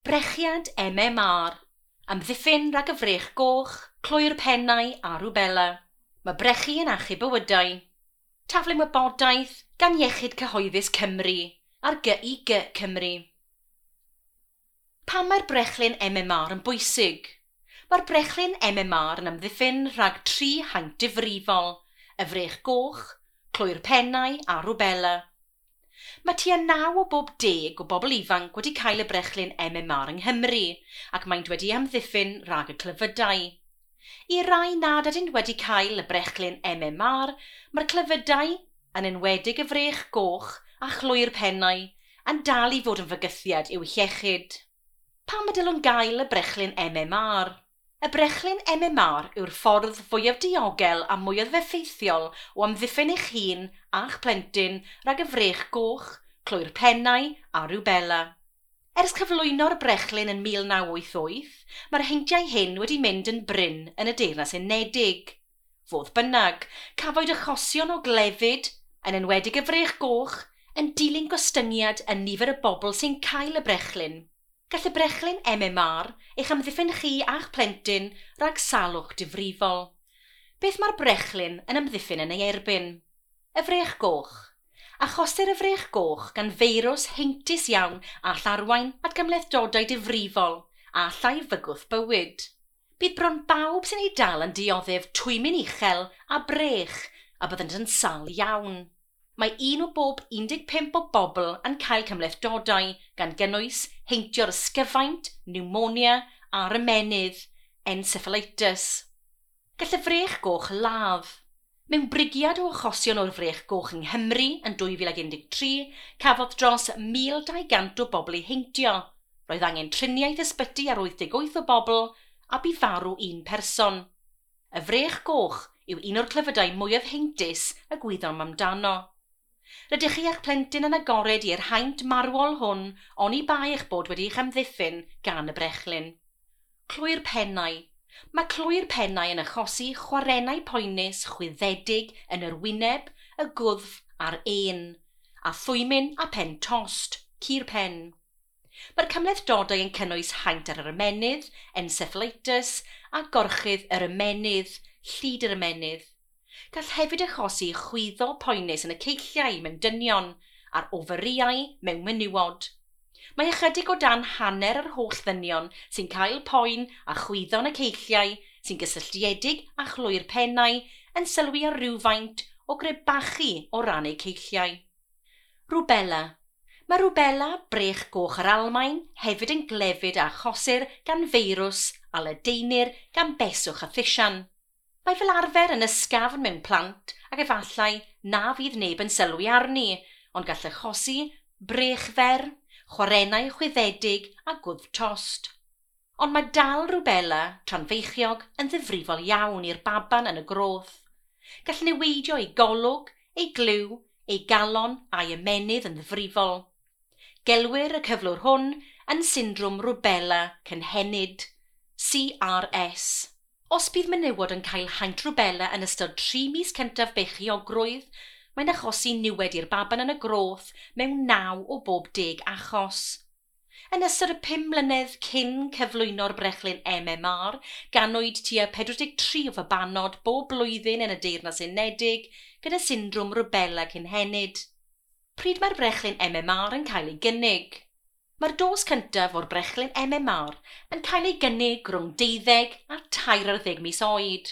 Brechiad MMR. Amddiffyn rhag y frech goch, clwy'r pennau a rwbela. Mae brechu yn achub bywydau. Taflen wybodaeth gan Iechyd Cyhoeddus Cymru ar GIG Cymru. Pam mae'r brechlyn MMR yn bwysig? Mae'r brechlyn MMR yn amddiffyn rhag tri haint difrifol, y frech goch, clwy'r pennau a rwbela. Mae tua 9 o bob 10 o bobl ifanc wedi cael y brechlyn MMR yng Nghymru ac maent wedi amddiffyn rhag y clefydau. I rai nad ydynt wedi cael y brechlyn MMR, mae'r clefydau, yn enwedig y frech goch a chlwy'r pennau, yn dal i fod yn fygythiad i'w hiechyd. Pam y dylwn gael y brechlyn MMR? Y brechlyn MMR yw'r ffordd fwyaf diogel a mwyaf effeithiol o amddiffyn eich hun a'ch plentyn rhag y frech goch, clwy'r pennau a rwbela. Ers cyflwyno'r brechlyn yn 1988, mae'r heintiau hyn wedi mynd yn brin yn y Deyrnas Unedig. Fodd bynnag, cafwyd achosion o glefyd, yn enwedig y frech goch, yn dilyn gostyngiad yn nifer y bobl sy'n cael y brechlyn. Gall y brechlyn MMR eich amddiffyn chi a'ch plentyn rhag salwch difrifol. Beth mae'r brechlyn yn amddiffyn yn ei erbyn? Y frech goch. Achosir y frech goch gan feirws heintus iawn a all arwain at gymhlethdodau difrifol a allai fygwth bywyd. Bydd bron bawb sy'n ei dal yn dioddef twymyn uchel a brech a byddant yn sâl iawn. Mae un o bob 15 o bobl yn cael cymhlethdodau gan gynnwys heintio'r ysgyfaint, pneumonia a'r ymennydd, encephalitis. Gall y frech goch ladd. Mewn brigiad o achosion o'r frech goch yng Nghymru yn 2013, cafodd dros 1,200 o bobl eu heintio. Roedd angen triniaeth ysbyty ar 88 o bobl a bu farw un person. Y frech goch yw un o'r clefydau mwyaf heintus y gwyddom amdano. Rydych chi a'ch plentyn yn agored i'r haint marwol hwn oni bai eich bod wedi'ch amddiffyn gan y brechlyn. Clwy'r pennau. Mae clwy'r pennau yn achosi chwarennau poenus chwyddedig yn yr wyneb, y gwddf a'r ên, a thwymyn a pen tost, cur pen. Mae'r cymhlethdodau yn cynnwys haint ar yr ymennydd, encephalitis, a gorchudd yr ymennydd, llid yr ymennydd. Gall hefyd achosi chwyddo poenus yn y ceilliau mewn dynion a'r oferïau mewn menywod. Mae ychydig o dan hanner yr holl ddynion sy'n cael poen a chwyddo yn y ceilliau sy'n gysylltiedig â chlwy'r pennau yn sylwi ar rywfaint o grebachu o ran eu ceilliau. Rwbela. Mae rwbela, brech goch yr Almaen, hefyd yn glefyd a achosir gan feirws a ledaenir gan beswch a thisian. Mae fel arfer yn ysgafn mewn plant ac efallai na fydd neb yn sylwi arni, ond gall achosi brechfer, chwarennau chwyddedig a gwddf tost. Ond mae dal rwbela tra'n feichiog yn ddifrifol iawn i'r baban yn y groth. Gall niweidio ei golwg, ei glyw, ei galon a'i ymennydd yn ddifrifol. Gelwir y cyflwr hwn yn syndrom rwbela cynhenid, CRS. Os bydd menywod yn cael haint rwbela yn ystod 3 mis cyntaf beichiogrwydd, mae'n achosi niwed i'r baban yn y groth mewn 9 o bob 10 achos. Yn ystod y 5 mlynedd cyn cyflwyno'r brechlyn MMR, ganwyd tua 43 o fabanod bob blwyddyn yn y Deyrnas Unedig gyda syndrom rwbela cynhenid. Pryd mae'r brechlyn MMR yn cael ei gynnig? Mae'r dos cyntaf o'r brechlyn MMR yn cael ei gynnig rhwng 12 a 13 mis oed.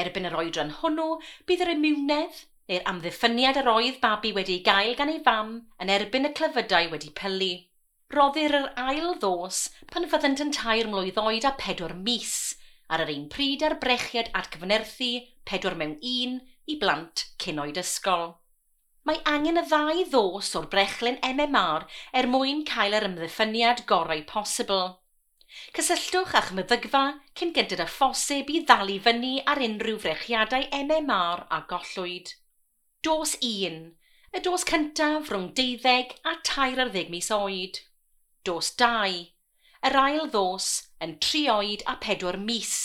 Erbyn yr oedran hwnnw, bydd yr imiwnedd neu'r amddiffyniad yr oedd babi wedi ei gael gan ei fam yn erbyn y clefydau wedi pylu. Roddir yr ail ddos pan fyddant yn 3 mlwydd oed a 4 mis, ar yr un pryd â'r brechiad atgyfnerthu 4 mewn 1 i blant cyn oed ysgol. Mae angen y ddau ddos o'r brechlyn MMR er mwyn cael yr amddiffyniad gorau posibl. Cysylltwch â'ch meddygfa cyn gynted â phosib i ddal i fyny ar unrhyw frechiadau MMR a gollwyd. Dos 1. Y dos cyntaf rhwng 12 a 13 mis oed. Dos 2. Yr ail ddos yn 3 oed a 4 mis,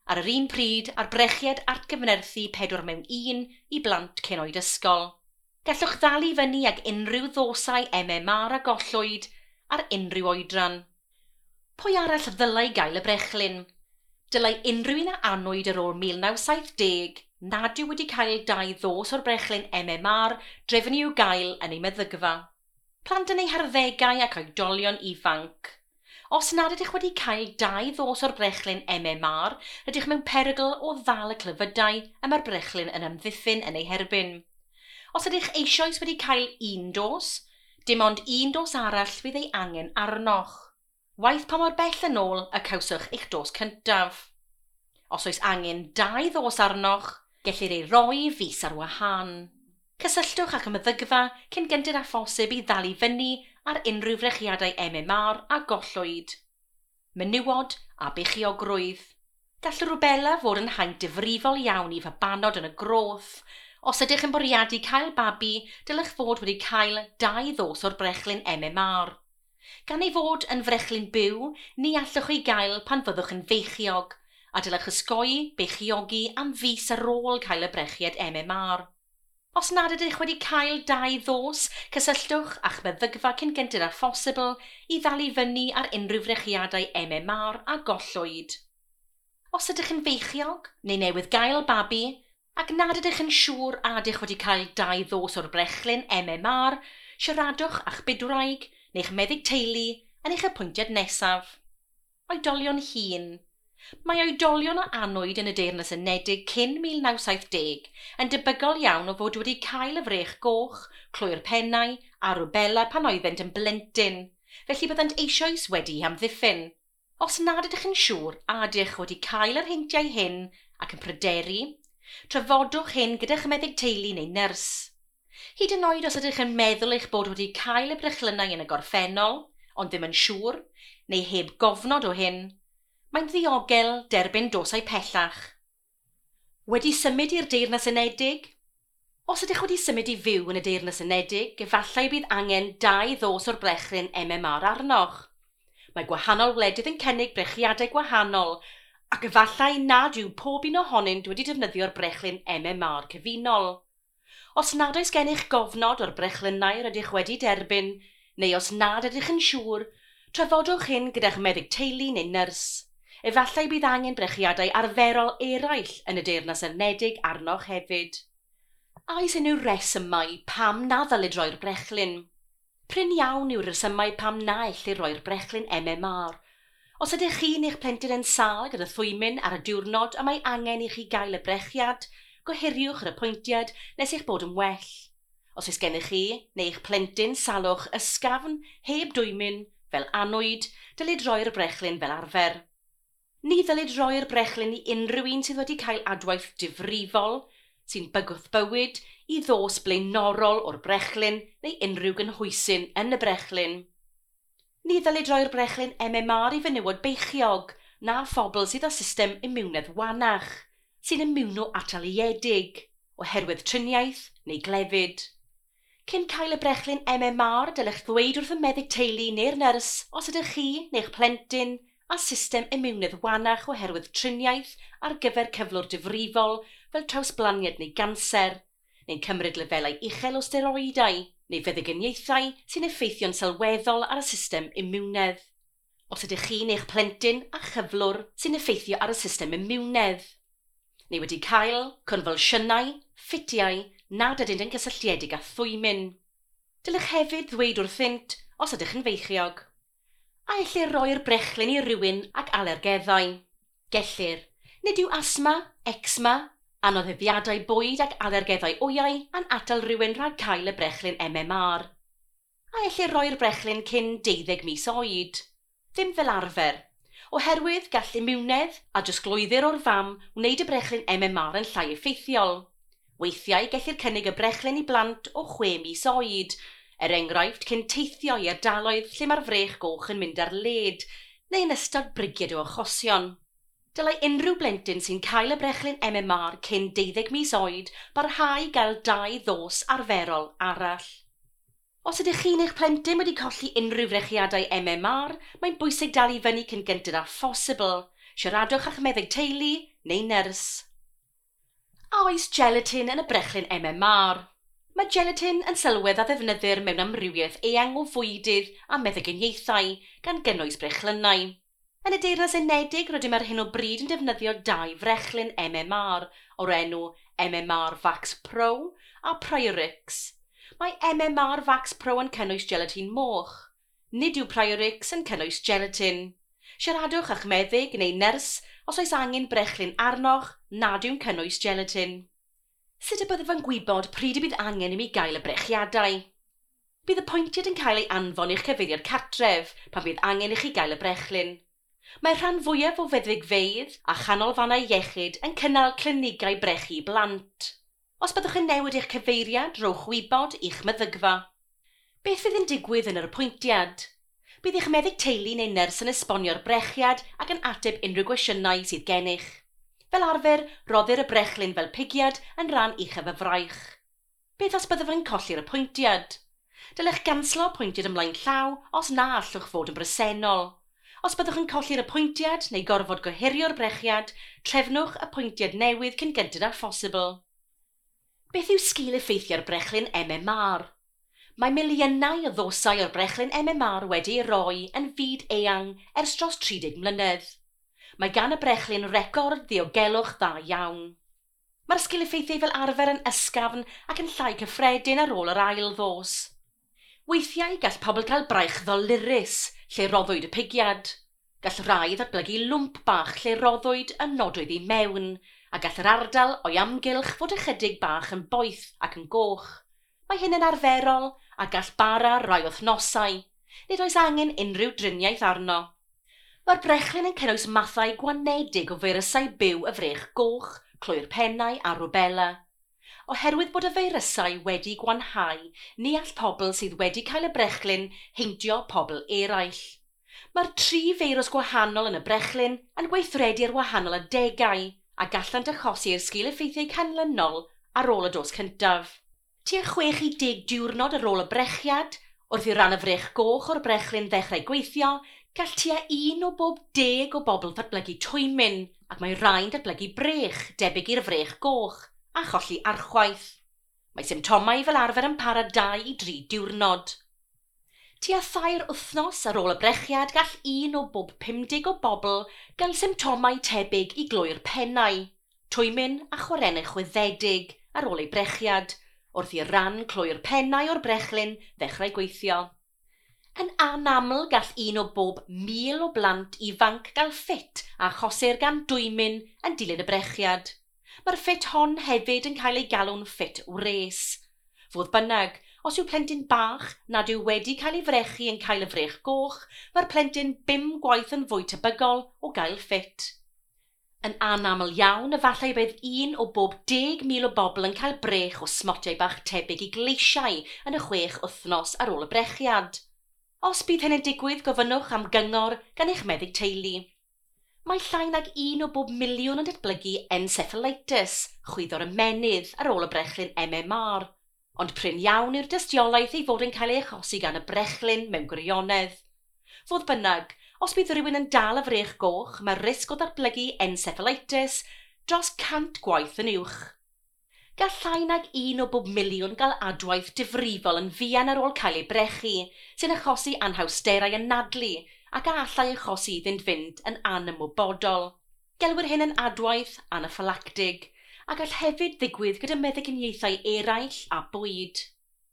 ar yr un pryd â'r brechiad atgyfnerthu 4 mewn 1 i blant cyn oed ysgol. Gallwch ddal i fyny ag unrhyw ddosau MMR a gollwyd ar unrhyw oedran. Pwy arall ddylai gael y brechlyn? Dylai unrhyw un a anwyd ar ôl 1970 nad yw wedi cael dau ddos o'r brechlyn MMR drefnu i'w gael yn ei meddygfa. Plant yn eu harddegau ac oedolion ifanc. Os nad ydych wedi cael dau ddos o'r brechlyn MMR, rydych mewn perygl o ddal y clefydau y mae'r brechlyn yn amddiffyn yn eu herbyn. Os ydych eisoes wedi cael un dos, dim ond un dos arall fydd ei angen arnoch. Waeth pa mor bell yn ôl y cawsoch eich dos cyntaf. Os oes angen dau ddos arnoch, gellir ei roi fis ar wahân. Cysylltwch â'ch meddygfa cyn gynted â phosib i ddal i fyny ar unrhyw frechiadau MMR a gollwyd. Menywod a beichiogrwydd. Gall rwbela fod yn haint difrifol iawn i fabanod yn y groth. Os ydych yn bwriadu cael babi, dylech fod wedi cael dau ddos o'r brechlyn MMR. Gan ei fod yn frechlyn byw, ni allwch ei gael pan fyddwch yn feichiog, a dylech osgoi beichiogi am fis ar ôl cael y brechiad MMR. Os nad ydych wedi cael dau ddos, cysylltwch â'ch meddygfa cyn gynted â phosibl i ddal i fyny ar unrhyw frechiadau MMR a gollwyd. Os ydych yn feichiog neu newydd gael babi ac nad ydych yn siŵr a ydych wedi cael dau ddos o'r brechlyn MMR, siaradwch â'ch bydwraig neu'ch meddyg teulu yn eich apwyntiad nesaf. Oedolion hŷn. Mae oedolion a anwyd yn y Deyrnas Unedig cyn 1970 yn debygol iawn o fod wedi cael y frech goch, clwy'r pennau a rwbela pan oeddent yn blentyn, felly byddant eisoes wedi'u hamddiffyn. Os nad ydych yn siŵr a ydych wedi cael yr heintiau hyn ac yn pryderu, trafodwch hyn gyda'ch meddyg teulu neu nyrs. Hyd yn oed os ydych yn meddwl eich bod wedi cael y brechlynnau yn y gorffennol, ond ddim yn siŵr, neu heb gofnod o hyn, mae'n ddiogel derbyn dosau pellach. Wedi symud i'r Deyrnas Unedig? Os ydych wedi symud i fyw yn y Deyrnas Unedig, efallai bydd angen dau ddos o'r brechlyn MMR arnoch. Mae gwahanol wledydd yn cynnig brechiadau gwahanol, ac efallai nad yw pob un ohonynt wedi defnyddio'r brechlyn MMR cyfunol. Os nad oes gennych gofnod o'r brechlynnau rydych wedi derbyn, neu os nad ydych yn siŵr, trafodwch hyn gyda'ch meddyg teulu neu nyrs. Efallai bydd angen brechiadau arferol eraill yn y Deyrnas Unedig arnoch hefyd. A oes unrhyw resymau pam na ddylid roi'r brechlyn? Prin iawn yw'r rhesymau pam na ellir roi'r brechlyn MMR. Os ydych chi neu'ch plentyn yn sâl gyda thwymyn ar y diwrnod y mae angen i chi gael y brechiad, gohiriwch yr apwyntiad nes eich bod yn well. Os oes gennych chi neu eich plentyn salwch ysgafn, heb dwymyn, fel annwyd, dylid roi'r brechlyn fel arfer. Ni ddylid roi'r brechlyn i unrhyw un sydd wedi cael adwaith difrifol, sy'n bygwth bywyd, i ddos blaenorol o'r brechlyn neu unrhyw gynhwysyn yn y brechlyn. Ni ddylid roi'r brechlyn MMR i fenywod beichiog na phobl sydd â system imiwnedd wanach, sy'n imiwno-ataliedig, oherwydd triniaeth neu glefyd. Cyn cael y brechlyn MMR, dylech ddweud wrth y meddyg teulu neu'r nyrs os ydych chi neu'ch plentyn a system imiwnedd wanach oherwydd triniaeth ar gyfer cyflwr difrifol fel trawsblaniad neu ganser, neu'n cymryd lefelau uchel o steroidau neu feddyginiaethau sy'n effeithio'n sylweddol ar y system imiwnedd. Os ydych chi neu'ch plentyn â chyflwr sy'n effeithio ar y system imiwnedd, neu wedi cael confylsiynau, ffitiau nad ydynt yn gysylltiedig â thwymyn. Dylech hefyd ddweud wrthynt os ydych yn feichiog. A ellir roi'r brechlyn i rywun ac alergeddau? Gellir. Nid yw asthma, eczema, anoddefiadau bwyd ac alergeddau wyau yn atal rhywun rhag cael y brechlyn MMR. A ellir roi'r brechlyn cyn 12 mis oed? Ddim fel arfer, oherwydd gall imiwnedd a drosglwyddir o'r fam wneud y brechlyn MMR yn llai effeithiol. Weithiau gellir cynnig y brechlyn i blant o 6 mis oed, er enghraifft cyn teithio i ardaloedd lle mae'r frech goch yn mynd ar led, neu yn ystod brigiad o achosion. Dylai unrhyw blentyn sy'n cael y brechlyn MMR cyn 12 mis oed barhau gael dau ddos arferol arall. Os ydych chi neu'ch plentyn wedi colli unrhyw frechiadau MMR, mae'n bwysig dal i fyny cyn gynted â phosibl. Siaradwch â'ch meddyg teulu neu nyrs. A oes gelatin yn y brechlyn MMR? Mae gelatin yn sylwedd a ddefnyddir mewn amrywiaeth eang o fwydydd a meddyginiaethau, gan gynnwys brechlynnau. Yn y Deyrnas Unedig, rydym ar hyn o bryd yn defnyddio dau frechlyn MMR o'r enw MMR Vax Pro a Priorix. Mae MMR Vax Pro yn cynnwys gelatin moch. Nid yw Priorix yn cynnwys gelatin. Siaradwch â'ch meddyg neu nyrs os oes angen brechlyn arnoch nad yw'n cynnwys gelatin. Sut y byddaf yn gwybod pryd y bydd angen i mi gael y brechiadau? Bydd apwyntiad yn cael ei anfon i'ch cyfeiriad cartref pan bydd angen i chi gael y brechlyn. Mae'r rhan fwyaf o feddygfeydd a chanolfannau iechyd yn cynnal clinigau brechu blant. Os byddwch yn newid eich cyfeiriad, rhowch wybod i'ch meddygfa. Beth fydd yn digwydd yn yr apwyntiad? Bydd eich meddyg teulu neu nyrs yn esbonio'r brechiad ac yn ateb unrhyw gwestiynau sydd gennych. Fel arfer, roddir y brechlyn fel pigiad yn rhan uchaf y fraich. Beth os byddwch yn colli'r apwyntiad? Dylech ganslo apwyntiad ymlaen llaw os na allwch fod yn bresennol. Os byddwch yn colli'r apwyntiad neu gorfod gohirio'r brechiad, trefnwch apwyntiad newydd cyn gynted â phosibl. Beth yw sgil effeithiau'r brechlyn MMR? Mae miliynau o ddosau o'r brechlyn MMR wedi ei roi yn fyd eang ers dros 30 mlynedd. Mae gan y brechlyn record ddiogelwch dda iawn. Mae'r sgil effeithiau fel arfer yn ysgafn ac yn llai cyffredin ar ôl yr ail ddos. Weithiau gall pobl gael braich ddolurus lle roddwyd y pigiad. Gall rai ddatblygu lwmp bach lle roddwyd y nodwydd i mewn, a gall yr ardal o'i amgylch fod ychydig bach yn boeth ac yn goch. Mae hyn yn arferol a gall bara rai wythnosau. Nid oes angen unrhyw driniaeth arno. Mae'r brechlyn yn cynnwys mathau gwanedig o feirysau byw y frech goch, clwy'r pennau a rwbela. Oherwydd bod y feirysau wedi gwanhau, ni all pobl sydd wedi cael y brechlyn heintio pobl eraill. Mae'r tri feirws gwahanol yn y brechlyn yn gweithredu ar wahanol adegau a gallant achosi'r sgil-effeithiau canlynol ar ôl y dos cyntaf. Tua 6 i 10 diwrnod ar ôl y brechiad, wrth i ran y frech goch o'r brechlyn ddechrau gweithio, gall tua 1 o bob 10 o bobl ddatblygu twymyn ac mae rhai'n datblygu brech debyg i'r frech goch a cholli archwaith. Mae symptomau fel arfer yn para 2 i 3 diwrnod. Tua 3 wythnos ar ôl y brechiad gall 1 o bob 50 o bobl gael symptomau tebyg i glwy'r pennau, twymyn a chwarennau chwyddedig ar ôl ei brechiad, wrth i ran clwy'r pennau o'r brechlyn ddechrau gweithio. Yn anaml gall 1 o bob 1,000 o blant ifanc gael ffit a achosir gan dwymyn yn dilyn y brechiad. Mae'r ffit hon hefyd yn cael ei galw'n ffit wres. Fodd bynnag, os yw plentyn bach nad yw wedi cael ei frechu yn cael y frech goch, mae'r plentyn 5 gwaith yn fwy tebygol o gael ffit. Yn anaml iawn, efallai bydd 1 o bob 10,000 o bobl yn cael brech o smotiau bach tebyg i gleisiau yn y 6 wythnos ar ôl y brechiad. Os bydd hyn yn digwydd, gofynnwch am gyngor gan eich meddyg teulu. Mae llai nag 1 o bob miliwn yn datblygu encephalitis, chwyddo'r ymennydd, ar ôl y brechlyn MMR, ond prin iawn yw'r dystiolaeth ei fod yn cael ei achosi gan y brechlyn mewn gwirionedd. Fodd bynnag, os bydd rhywun yn dal y frech goch, mae'r risg o ddatblygu encephalitis dros 100 gwaith yn uwch. Gall llai nag 1 o bob miliwn gael adwaith difrifol yn fuan ar ôl cael ei brechu, sy'n achosi anhawsterau anadlu ac a allai achosi iddynt fynd yn anymwybodol. Gelwir hyn yn adwaith anaffylactig, a gall hefyd ddigwydd gyda meddyginiaethau eraill a bwyd.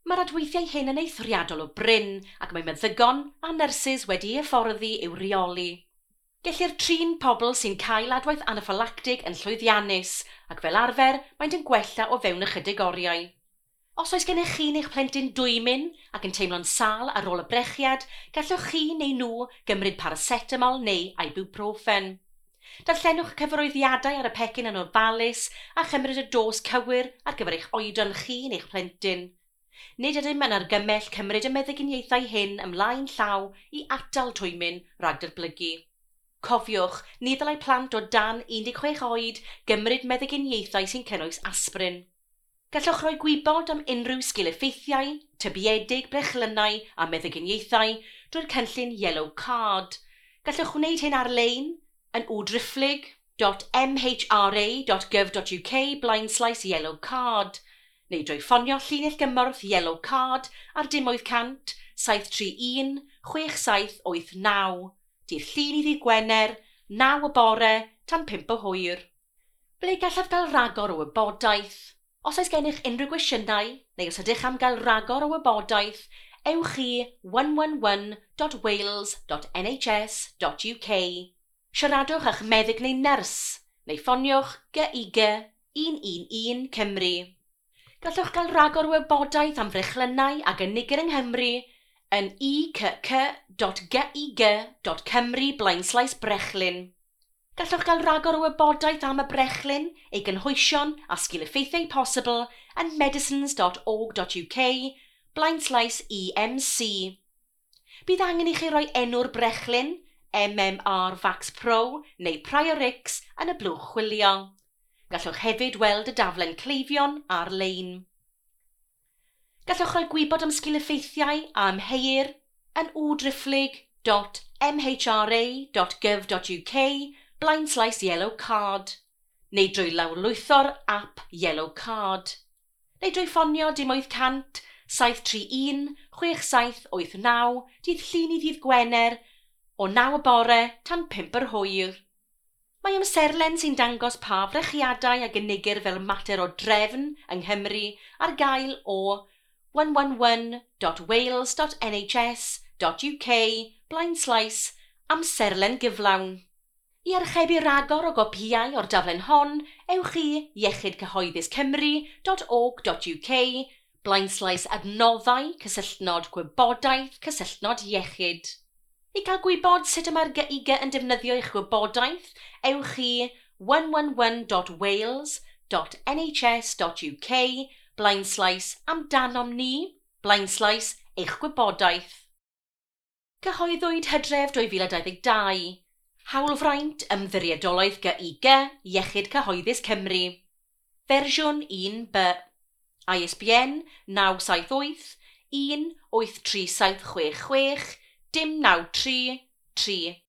Mae'r adweithiau hyn yn eithriadol o brin ac mae meddygon a nyrsys wedi eu hyfforddi i'w reoli. Gellir trin pobl sy'n cael adwaith anaffylactig yn llwyddiannus ac fel arfer maent yn gwella o fewn ychydig oriau. Os oes gennych chi neu'ch plentyn dwymyn ac yn teimlo'n sâl ar ôl y brechiad, gallwch chi neu nhw gymryd paracetamol neu ibuprofen. Darllenwch y cyfarwyddiadau ar y pecyn yn ofalus a chymryd y dos cywir ar gyfer eich oedran chi neu'ch plentyn. Nid ydym yn argymell cymryd y meddyginiaethau hyn ymlaen llaw i atal twymyn rhag datblygu. Cofiwch, ni ddylai plant o dan 16 oed gymryd meddyginiaethau sy'n cynnwys aspirin. Gallwch roi gwybod am unrhyw sgil-effeithiau, tybiedig, brechlynnau a meddyginiaethau drwy'r cynllun Yellow Card. Gallwch wneud hyn ar-lein yn www.mhra.gov.uk/yellow card neu drwy ffonio llinell gymorth Yellow Card ar 0800 731 6789. dydd Llun i ddydd Gwener, 9 y bore tan 5 o hwyr. Ble gallaf gael rhagor o wybodaeth? Os oes gennych unrhyw gwestiynau, neu os ydych am gael rhagor o wybodaeth, ewch i 111.wales.nhs.uk. Siaradwch â'ch meddyg neu nyrs, neu ffoniwch GIG 111 Cymru. Gallwch gael rhagor o wybodaeth am frechlynnau a gynigir yng Nghymru yn icc.gig.cymru/brechlyn. Gallwch gael rhagor o wybodaeth am y brechlyn, ei gynhwysion a sgil-effeithiau posibl yn medicines.org.uk/EMC. Bydd angen i chi roi enw'r brechlyn, MMR Vax Pro neu Priorix yn y blwch chwilio. Gallwch hefyd weld y daflen cleifion ar-lein. Gallwch roi gwybod am sgil-effeithiau a amheuir yn www.mhra.gov.uk/yellow card neu drwy lawrlwytho'r app Yellow Card, neu drwy ffonio 0800 731 6789 dydd Llun i ddydd Gwener o 9 y bore tan 5 yr hwyr. Mae amserlen sy'n dangos pa frechiadau a gynigir fel mater o drefn yng Nghymru ar gael o 111.wales.nhs.uk/amserlen gyflawn. I archebu ragor o gopïau o'r daflen hon, ewch i iechydcyhoedduscymru.org.uk/adnoddau cysylltnod gwybodaeth cysylltnod iechyd. I gael gwybod sut y mae'r GIG yn defnyddio eich gwybodaeth, ewch i 111.wales.nhs.uk/amdanom ni/eich gwybodaeth. Cyhoeddwyd Hydref 2022. Hawlfraint Ymddiriedolaeth GIG Iechyd Cyhoeddus Cymru. Fersiwn 1B. ISBN 978 1 83766 093 3.